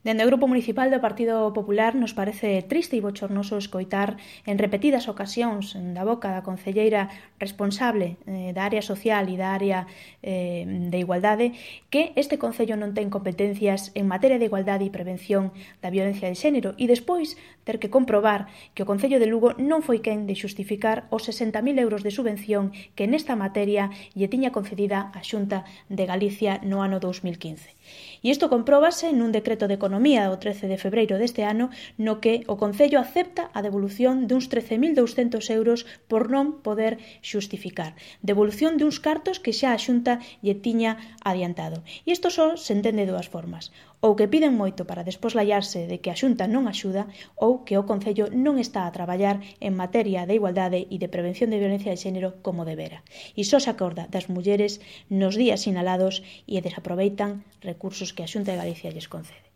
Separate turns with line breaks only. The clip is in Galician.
Dende o Grupo Municipal do Partido Popular nos parece triste e bochornoso escoitar en repetidas ocasións da boca da concelleira responsable da área social e da área de igualdade que este concello non ten competencias en materia de igualdade e prevención da violencia de xénero e despois ter que comprobar que o Concello de Lugo non foi quen de xustificar os 60.000 euros de subvención que nesta materia lle tiña concedida a Xunta de Galicia no ano 2015. E isto compróbase nun decreto de Economía do 13 de febreiro deste ano no que o Concello acepta a devolución duns 13.200 euros por non poder xustificar. Devolución duns cartos que xa a Xunta lle tiña adiantado. E isto só se entende de dúas formas. Ou que piden moito para despois lallarse de que a Xunta non axuda ou que o Concello non está a traballar en materia de igualdade e de prevención de violencia de xénero como debera. E só se acorda das mulleres nos días sinalados e desaproveitan recursos que a Xunta de Galicia lles concede.